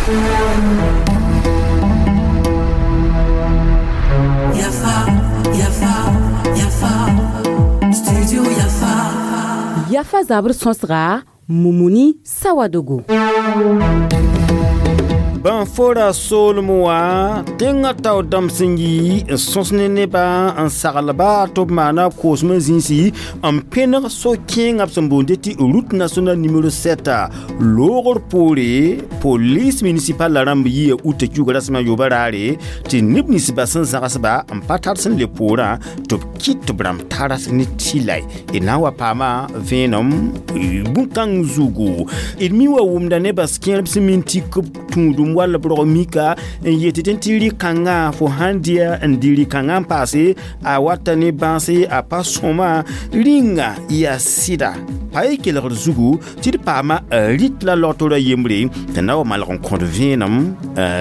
Yafa, Yafa, Yafa, Studio Yafa. Yafa zabr sõsga Mumuni Sawadogo. Bãn fora soolem wã tẽngã tao dãmb sẽn yi n sõs ne nebã n saglba tɩ b maana koosmã zĩisi n pẽneg so-kẽengã b sẽn boonde tɩ route nationale numéro 7 loogr poore. Police municipal la rãmb yia uta kiuga rasmã yoobã raare tɩ neb ninsbã sẽn zãgsba n pa tar sẽn le poorã tɩ b kɩt tɩ b rãmb taras ne tɩlay d na n wa paama vẽenem bũn-kãng zugu. D mi wa wʋmda nebã kẽerb sẽn min tɩ b tũudum wall b rog mika n yet tɩ tɩ rɩ-kãngã fo sãn dɩa n dɩ rɩ-kãngã n paase a wata ne bãase a pa sõma rĩnga yaa sɩda pa y kelgd zugu tɩ d paama rɩt la logtora yembre tɩ na wa malg n kõt vẽenem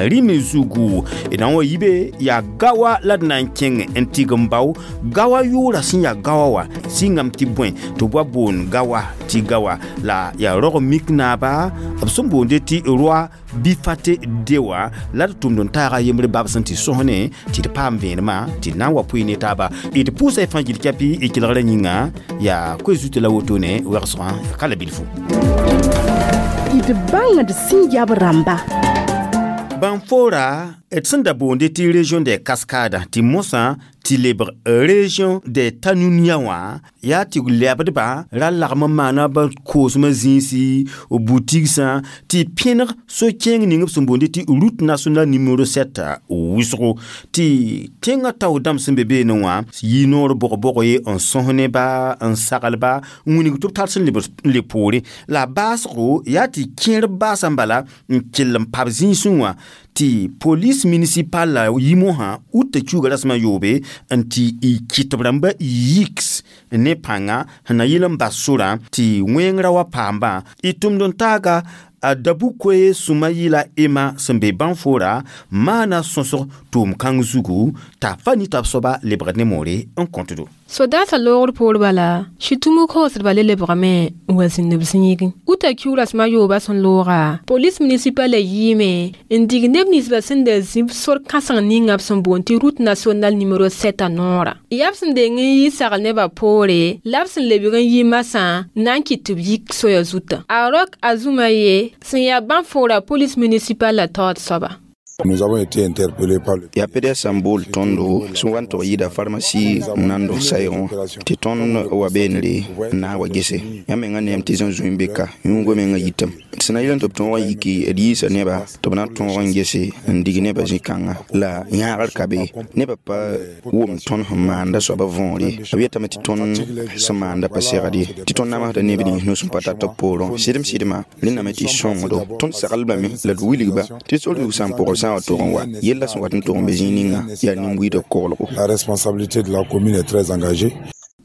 rĩm zugu. D na n wa yibe yaa gawa la d na n kẽng n tɩg n bao gawa yʋʋra sẽn yaa gawa wã sɩngame tɩ bõe tɩ b wa boond gawa tɩ gawa la yaa rog mik naaba b sẽn boonde tɩ roi bifate dewa la d tʋmd n taaga yembre bab sẽn tɩ sõs ne tɩ d paam vẽenemã tɩ d na n wa pʋɩ ne taaba. D pʋʋsa y fãa gil kɛpɩ y kelgrã yĩnga yaa koe zutã la wotone wɛgsgã ka la bilfu. D bãngd sẽn yab rãmba. Bãn fora d sẽn da boonde tɩ région des Cascades tɩ mosã tɩ lebg région des Tanunia wã yaa tɩ lɛbdba ra lagm n maana ba koosmã zĩisi butigsã tɩ pẽneg so-kẽeng ning b sẽn boonde tɩ route nationale numéro 7 wʋsgo tɩ tẽngã tao dãmb sẽn be beene wã yi noor bog-bog ye n sõs neba n saglba n wilg tɩ b tar sẽn le poore la baasgo yaa tɩ kẽer baasã bala n kell n pab zĩisẽ wã tɩ police municipal la yimosã uta kiuga rasmã yoobe n tɩ y kɩt b rãmba yiks ne pãnga sẽn na yɩl n bas sorã tɩ wẽngrã wa paambã y tʋmd n taaga a dabu-koe sũma yɩla ema sẽn be bãn-fora maana sõsg tʋʋm-kãng zugu t'a fa nita b soaba lebgd ne moore n kõtdo. Sodaasã loogr poor bala sɩtũmu koosdba le lebgame n wa zĩnd b zĩigẽ uta kiu rasmã yooba sẽn looga police municipal yiime n dig neb ninsbã sẽn da zĩb sor kãseng ninga b sẽn boond tɩ route nationale numéro 7 a noorã yaa b sẽn deng n yi sagl nebã poore la b sẽn lebg n yi masã na n kɩt tɩ b yik soya zutã a rok a zũma ye sẽn yaa bãn-fora police municipal la taood soaba. Nous avons été interpellés par le Yaa PDS sẽn bool tõndo sẽn wa n tog yɩɩda pharmacie n na n dog saɛɛgẽ wã tɩ tõnd wa beenre n na n wa gese yãmb mengã neem tɩ zẽn zũy n be ka yũugã mengã yitame d sẽn na yɩl n tɩ b tõog n yiki d yiisa neba tɩ b na n tõog n gese n dig nebã zĩ-kãnga la yãagr ka be nebã pa wʋm tõnd sẽn maanda soabã võor ye b yetame tɩ tõnd sẽn maanda pa segd ye tɩ tõnd namsda neb nins nus n pa tar tɩ b poorẽ sɩdem sɩdmã rẽndame tɩ sõngdo tõnd saglbame la d wilgba tɩ sor zug sã n pʋgb sã n wa tog n wa yella sẽn wat n tog n be zĩig ninga yaa nin-buiidb koglgo. La responsabilité de la commune est très engagée.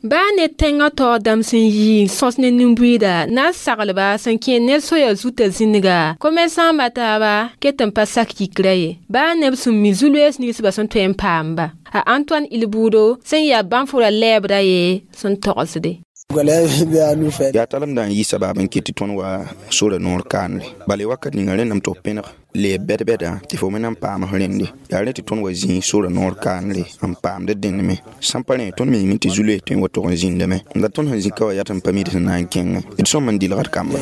Baa ne tẽngã taoog dãmb sẽn yi n sõs ne nin-buiida na n saglba sẽn kẽ ne soya zutã zĩnga komɛrsãambã taaba ket n pa sak yikrã ye baa neb sẽn mi zu-loees ninsbã sẽn tõe n paamba a Antoine Ilbudo sẽn yaa bãn-fora lɛɛbda ye sẽn togsde. Yaa talemdã n yi sabaab n kɩt tɩ tõnd wa sora noor kaanre bala wakat ninga rẽndame tɩ b pẽneg leeb bɛd-bɛda tɩ fo me na n paam rẽnde yaa rẽ tɩ tõnd wa zĩig sora noor kaanre n paamd dẽndme sãn pa rẽ tõnd miime tɩ zu-loees tõe n wa tog n zĩndame la tõnd sẽn zĩ ka wa yaa tɩ n pa mid sẽn na n kẽngẽ d sõm n dɩlgd kamba.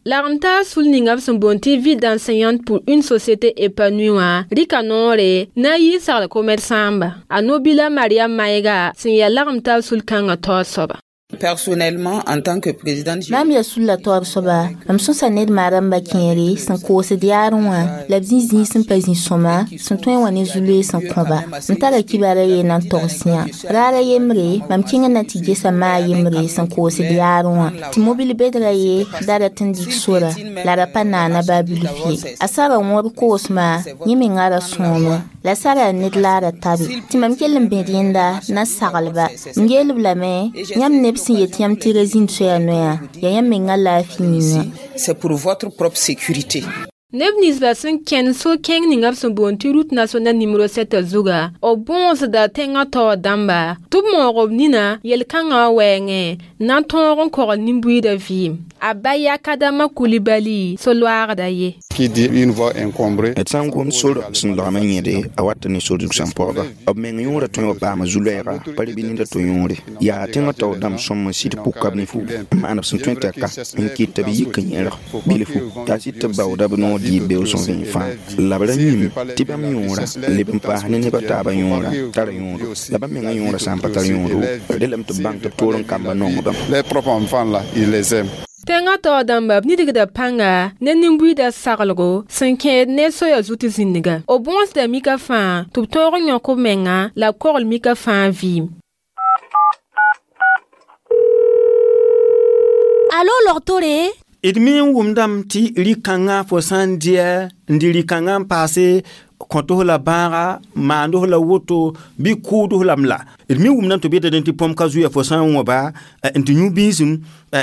Lagm-taar sul ninga b sẽn boond tɩ vie d'enseignante pour une société épanouie wã rɩka noore na n yɩ sagl komɛr-sãamba a no-bila Maria Maɩga sẽn yaa lagm-taar sul-kãngã taood soaba. Personnellement, en tant que présidente, Mam yaa sulla taood soaba mam sõsa ned maarãmbã kẽere sẽn koosd yaarẽ wã la b zĩ zĩig sẽn pa zĩ sõma sẽn tõe n wa ne zu-loees n kõba m tara kibara ye na n togs yã raara yembre mam kẽngã na tɩ gesa maa yembre sẽn koosd yaarẽ wã tɩ mobil bedra ye da rat n dig sora la ra pa naana baa bilf ye a sara wõr koosmã yẽ mengã ra sõome la sara ned laara tabe tɩ mam kell n bẽd yẽnda na saglba m yeel-b lame yãmb neb sẽn yet yãmb tɩ ra zĩnd soya noyã yaa yãmb mengã laafɩ yĩnga. C'est pour votre propre sécurité. Neb ninsba sẽn kẽnd so-kẽng ninga b sẽn boond tɩ route nationale numéro 7 zuga b bõosda tẽngã taoor dãmba tɩ b maoog b nina yel-kãngã wã wɛɛngẽ na n tõog n kogl nin-buiidã vɩɩm. A Bayakadama Kulibali so-loaagda ye. Qui dit une voie encombrée. D sã n gom sor sẽn lagm n yẽde a wat ne sor zug sẽn pɔgba b meng yõora tõe wa paama zu-loɛɛga pa rɩ bɩ ned a to yõore yaa tẽngã taoor dãmb sõm n sɩd pʋka b ne fuugu n maan b sẽn tõe t'a ka n kɩt tɩ b yik n yẽrg bilfu t'a sɩd tɩ b baooda b noor dɩɩb beoog sẽn vẽen fãa la b ra yĩm tɩ bãmb yõora leb n paas ne neb a taabã yõora tara yõodo la bãmb mengã yõora sã n pa tar yõodo relame tɩ b bãng tɩ b toor n kamba nong bãmb. Les propres enfants là, ils les aiment. Tẽngã taoor dãmba b nidgda pãnga ne nin-buiidã saglgo sẽn kẽed ne soya zut zĩnniga. B bõosda mika fãa tɩ b tõog n yõk b menga la b kogl mika fãa vɩɩm. Alo logtore? D me n wʋmdame tɩ rɩ-kãngã fo sã n dɩɛ n dɩ rɩ-kãngã n paase kõtos la bãaga maandos la woto bɩ kʋʋdos lame la d me wʋmdame tɩ b yetame tɩ põm ka zuya fo sã n wãba n tɩ yũ biisem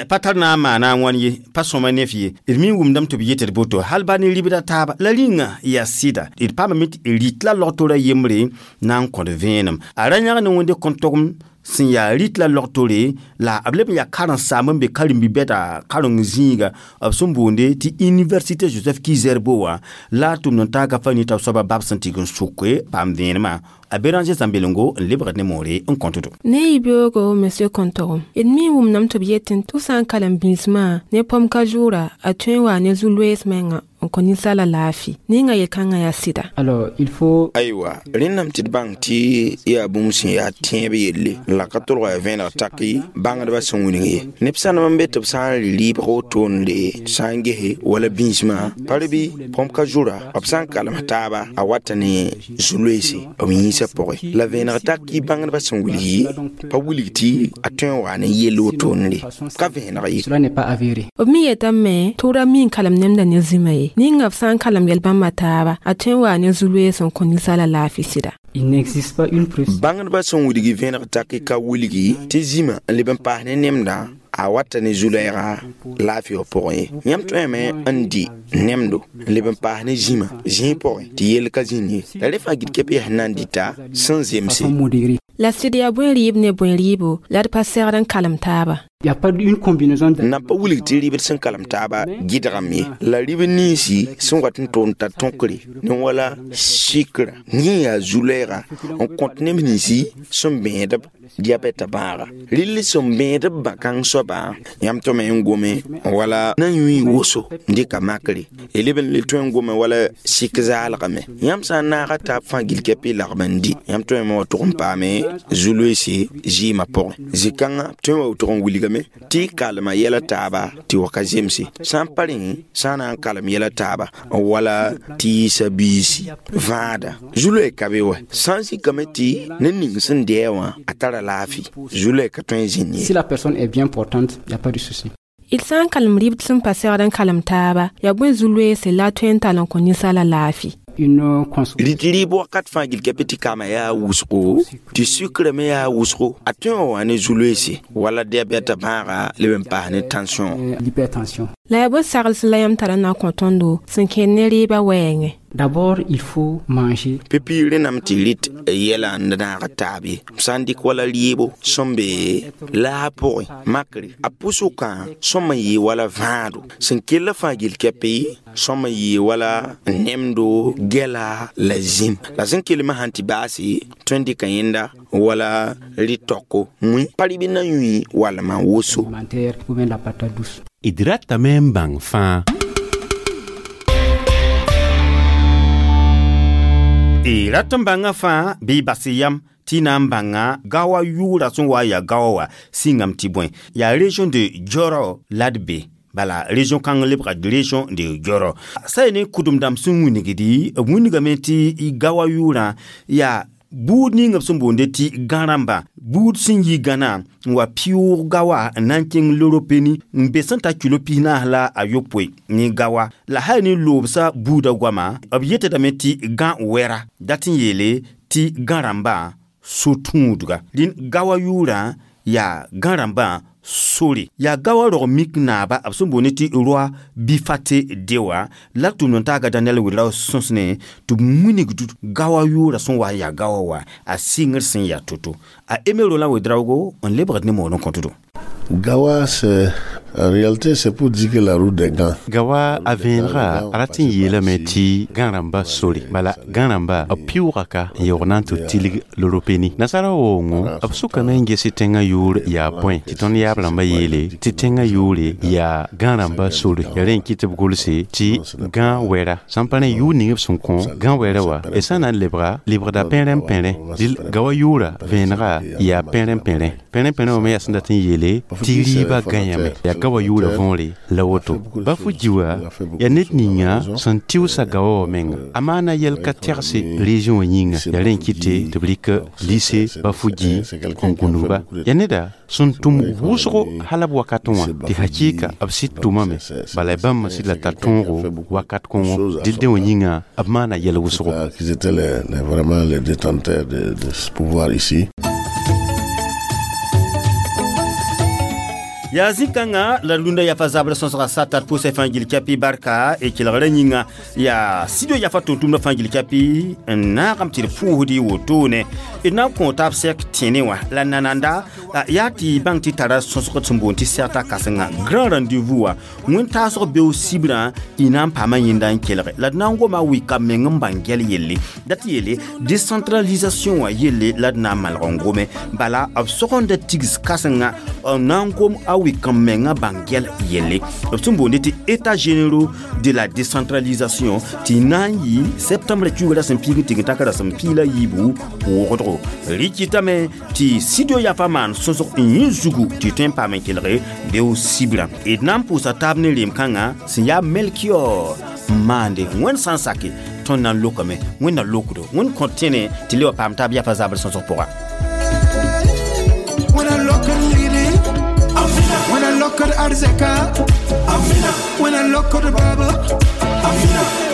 pa tar na n maana a wãn ye pa sõma ne f ye d me wʋmdame tɩ b yetd boto hal ba ne ribda taaba la rĩnga yaa sɩda d paamame tɩ rit la logtora yembre na n kõt vẽenem a ra yãg ne wẽnde kõn-togem sẽn yaa rit la logtore la b leb n yaa karen-saam n be karen-bi-bɛda kareng zĩiga b sẽn boonde tɩ université Joseph Ki-Zerbo wã la a tʋmd n taaga fa nita soaba bab sẽn tɩg n sʋke paam vẽenemã a Béranger Zãmbelengo n lebgd ne moore n kõtdo. Ne yibeoogo monsieur kõntogem d me wʋmdame tɩ b yetẽ tɩ f sã n kalem bĩsmã ne pɔm ka zʋʋra a tõe n waa ne zu-loees menga n kõ ninsaala laafɩ ninga yel-kãngã yaa sɩda. Alors il faut aywa rẽnname tɩ d bãng tɩ yaa bũmb sẽn yaa tẽeb yelle la ka tolga yaa vẽeneg taki bãngdbã sẽn wilg ye neb sãnem n be tɩ b sã n rɩ rɩɩbg wotone sã n gese wala bĩismã pa rɩ bɩ põm ka zʋra b sã n kalem taaba a wata ne zu-loeese b yĩnsã pʋgẽ la vẽeneg taki bãngdbã sẽn wilg ye pa wilg tɩ a tõe n wa ne yell wotone ka vẽeneg ye. Cela n'est pas avéré. B me yetame tɩ ra mi n kalem nemda ne zĩma ye ninga b sã n kalem yel-bãmba taaba a tõe n waa ne zu-loees n kõ ninsaala laafɩ sɩda. Il n'existe pas une preuve. Bãngdbã sẽn wilgi vẽeneg taki ka wilgi tɩ zĩma n leb n paas ne nemdã a wata ne zu-loɛɛga laafɩ wã pʋgẽ ye yãmb tõeme n dɩ nemdo n leb n paas ne zĩma zĩig pʋgẽ tɩ yell ka zĩnd ye la rẽ fãa gɩd kɛp yaa sẽn na n dɩta sẽn zemse. La sɩd yaa bõe rɩɩb ne bõe rɩɩbo la d pa segd n kalem taaba. Il y a pas une combinaison de na pa wilg tɩ rɩbd sẽn kalem taaba gɩdgame ye la rɩb ninsi sẽn wat n tʋʋm t'a tõkre ne wala sikra yẽ yaa zu-loɛɛga n kõt neb ninsi sẽn bẽedb diabɛta bãaga rɩll sẽn bẽedb bã-kãng soaba yãmb tõme n gome wala na yũy woso n dɩka makre y leb n le tõe n gome wala sik zaalgame yãmb sã n naaga taab fãa gil kɛpɩ lagm n dɩ yãmb tõeme wa tʋg n paame zu-loeese zɩɩmã pʋgẽ zĩ-kãngã tõe wa tʋg n wilgame tɩ kalema yɛla taaba tɩ wa ka zemse sã n pa rẽ sã n na n kalem yɛla taaba wala tɩ yɩɩsa biisi vãada zu-loɛ ka be wa sã n zikame tɩ ned ning sẽn dɩɛ wã a tara laafɩ zu-loɛ ka tõe n zĩnd ye. Si la personne est bien portante, il y a pas de souci. D sã n kalem rɩbd sẽn pa segd n kalem taaba yaa bõe zu-loeese la a tõe n tall n kõ ninsaala laafɩ. Une consommation. Rɩt rɩɩb wakat fãa gil kɛpɩ tɩ kaama yaa wʋsgo tɩ sukrã me yaa wʋsgo a tõe n wa ne zu-loeese wala diabɛta bãaga leb n paas ne tension. L'hypertension. La yaa bõe sagls la yãmb tara na n kõ tõndo sẽn kẽed ne rɩɩbã wɛɛngẽ. D'abord, il faut manger. Pipi rẽnname tɩ rɩt yɛla n naag taab ye b sã n dɩk wala rɩɩbo sẽn be laag pʋgẽ makre a pʋsʋkã sõm n yɩɩ wala vãado sẽn kellã fãa gil kɛpɩ sõm n yɩɩ wala nemdo gɛla la zĩm la sẽn kelmã sãn tɩ baase tõe n dɩka yẽnda wala rɩ-taoko mũi pa rɩ bɩ na yũi walmã woso. Alimentaire ou bien la patate douce. D ratame n bãng fãa. D rat n bãngã fãa bɩ bas yam tɩ na n bãnga gaoa yʋʋra sẽn wa yaa gaoa wã sĩngame tɩ bõe yaa région de Dioro la d be bala région kãng lebga région de Dioro sa ne kʋdem dãmb sẽn wilgdi b wilgame tɩ gaoa yʋʋrã yaa buud ning b sẽn boonde tɩ gã-rãmba buud sẽn yi gãnã n wa pɩʋʋg gawa n na n kẽng Loropeni n be sẽn ta kilo 14 la a yopoe ne gawa la hal ne loobsã buudã goama b yetdame tɩ gã wɛra dat n yeele tɩ gã-rãmbã so-tũudga rẽnd gawa yʋʋrã yaa gã-rãmbã Sore yaa gawa rog mik naaba b sẽn boond tɩ roi bifate dewa la tʋmd n taaga Daniel Ouedraogo sõsne tɩ b wilgd gawa yʋʋra sẽn wa yaa gawa wa a sɩngr sẽn yaa to-to a Aimé Roland Ouedraogo n lebgd ne moor n kõtdo. Gawa, c'est en réalité, c'est pour dire que la route des gants. Gawa a vẽenega a rat n yeelame tɩ gã-rãmba sore bala gã-rãmba b pɩʋʋga ka n yaoog na n tɩ tilg loropeni nasara waoongo b sʋkame n ges tẽngã yʋʋr yaa bõe tɩ tõnd yaab rãmbã yeele tɩ tẽngã yʋʋre yaa gã-rãmba sore ya rẽ n kɩ tɩ b gʋlse tɩ gã wɛra sãn pa rẽ yʋʋr ning b sẽn kõ gã wɛra wa d sã na n lebga lebgda pẽrẽ-pẽrẽ dɩl gawa yʋʋra vẽenega yaa pẽrẽ-pẽrẽ pẽrẽ-pẽrẽ wã me yaa sẽn dat n yeele tɩ rɩɩbã gãyame yaa gawa yʋʋra võore la woto Bafodji wã yaa ned ninga sẽn tɩʋsa gawa wã menga a maana yɛl ka tɛgse région wã yĩnga yaa rẽ n kɩte tɩ b rɩk lycée Bafodji n gũnugba yaa neda sẽn tʋm wʋsgo hala b wakatẽ wã tɩ hakɩɩka b sɩd tʋmame bala bãmb sɩd la tar tõogo wakat kõngo dɩl dẽ wã yĩnga b maana yɛl wʋsgo. Qu'ils étaient vraiment les détenteurs de ce pouvoir ici. Yaa zĩ-kãngã la rũndã yafa zabr sõsga sata d pʋʋsã fãa gil kɛpɩ barka e kelgrã yĩnga yaa studio yafa tʋm-tʋmdã fãa gil kɛpɩ n naagame tɩ d pʋʋsd y wotone d na n kõ taab sɛk tẽne wã la nananda yaa tɩ bãng tɩ tara sõsg sẽn boond tɩ sɛgta kãsenga grand rendez-vous wã wẽn-taasg beo sibrã y na n paama yẽnda n kelge la d na n goma wɩka meng n bãng gɛl yelle dat yeele décentralisation wã yelle la d na n malg n gome bala b sogenda tigs kãsenga n na n gom a wɩk n menga bãng gɛl yelle b sẽn boonde tɩ état généraux de la décentralisation tɩ na n yɩ septembre kiuga rasem piig n tɩg n tak rasem piig la yiibu wʋgdgo rɩkɩtame tɩ studio yafa maan sõsg n yẽ zugu tɩ tõe n paam n kelge beo sibrã d na n pʋʋsa taab ne reem-kãngã sẽn yaa Melchior n maande wẽnd sã n sake tõnd na n lokame wẽnd na lokdo wẽnd kõ tẽne tɩ le wa paam taab yafa zabr sõsg pʋga. When I look at Arzeka, when I look at the Baba,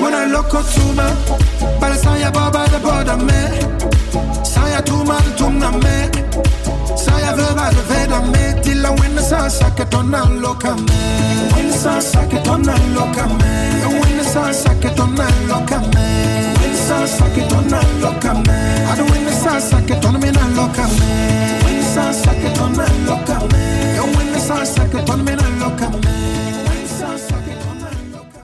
when I look at Tuma, but I saw ya Baba the border me, saw ya Tuma the Tumna me, saw ya Verba the Veda me, till I win the sun socket on a look at me, win the sun socket on a look at